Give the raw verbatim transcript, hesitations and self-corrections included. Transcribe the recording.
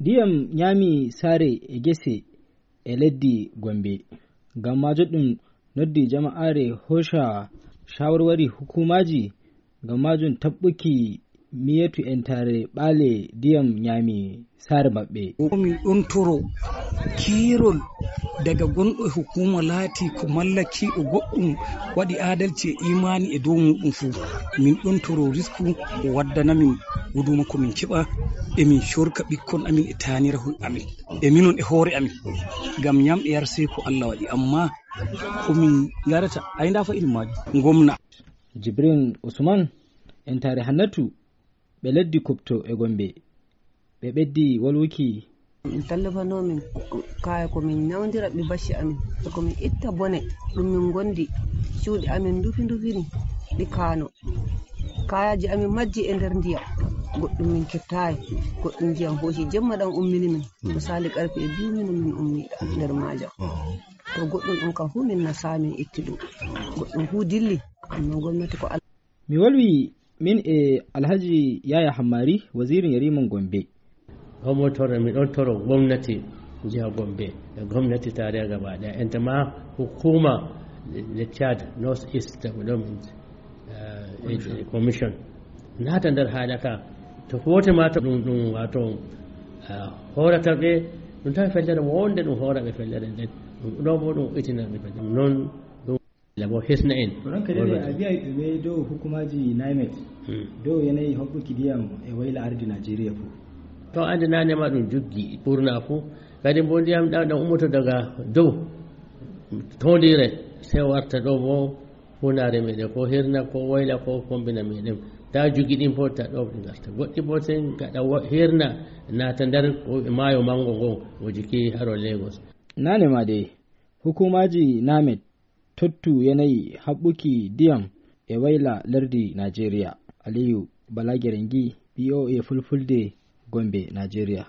Ndiyam ñaami saare e gese e leddi Gombe. Ngam maajum ɗum noddi jama'aare hooca shawarwari hukuumaaji ngam maajum taɓɓuki miyetu entaare ɓaale ndiyam ñaami saare maɓɓe. Ko min ɗon toro keerol daga gonɗo e hukuma laati ko malla kiiɗo goɗɗum waɗi adalci e imani e dow muɗum fuu. Min ɗon toro risku o waddana min guduma ko min keɓa e min corka ɓikkon amin e tanirahoy amin e minon e hoore amin. Ngam ñam e yar sey ko Allah waɗi amma ko min yarata ay nda fa irin majum. Gomna. Jibrin Usman, entaare Hannatu, ɓe leddi Kupto e Gombe. Ɓe ɓeddi wolwuki. Min tallafano min kaya ko min nawdira ɓe bacci amin. Ko min itta bone ɗum min gondi cuuɗi amin ndufi ndufini ɗi kaano. Kayaji amin majji e nder ndiyam. Goɗɗum min kettayi. Goɗɗum ndiyam hosi jemma ɗam ummini min. Misali karfe e biyu min min ummi nder majam. To goɗɗum ɗum kam fu min nasa min itti ɗum. Goɗɗum fu dilli. Amma gomnati ko Mi wolwi min e Alhaji Yaya Hammari, wazirin yariman Gombe. Ɗon mo toro, mi ɗon toro gomnati jiha Gombe e gomnati tarayya gaba ɗaya. Enta ma hukuma le Chad North East Development eh, Commission. Commission. Nata nder haala ka. To fote ma to ɗum, ɗum wato eh, horata ɓe, ɗum tawi fellere wonde ɗum hora ɓe fellere nden. Ɗum ɗo bo ɗum itina ɓe fellere. Non ɗum Labo hisna en. Ranka dai a biya ɓe dow hukumaji NIMET. Hmm. Dow yanayi hoɓɓuki ndiyam e wayla ardi Najeriya fu. To ande nane ma ɗum juggi ɓurna fu. Kadi mbo ndiyam ɗam ɗam ummoto daga dow. Tondire sey warta ɗo mo hunare meɗen ko hirna ko wayla ko kombina meɗen. Ta juggi ɗin fof ta ɗo ɗi garta. Goɗɗi fof sey gaɗa wo-, hirna naata nder ko e maayo mango ngon o jiki haro Lagos. Nane ma dey, hukumaji NIMET tottu yanayi haɓɓuki ndiyam e wayla lerdi Najeriya. Aliyu Balagere ngi, B O A Fulfulde, Gombe, Najeriya.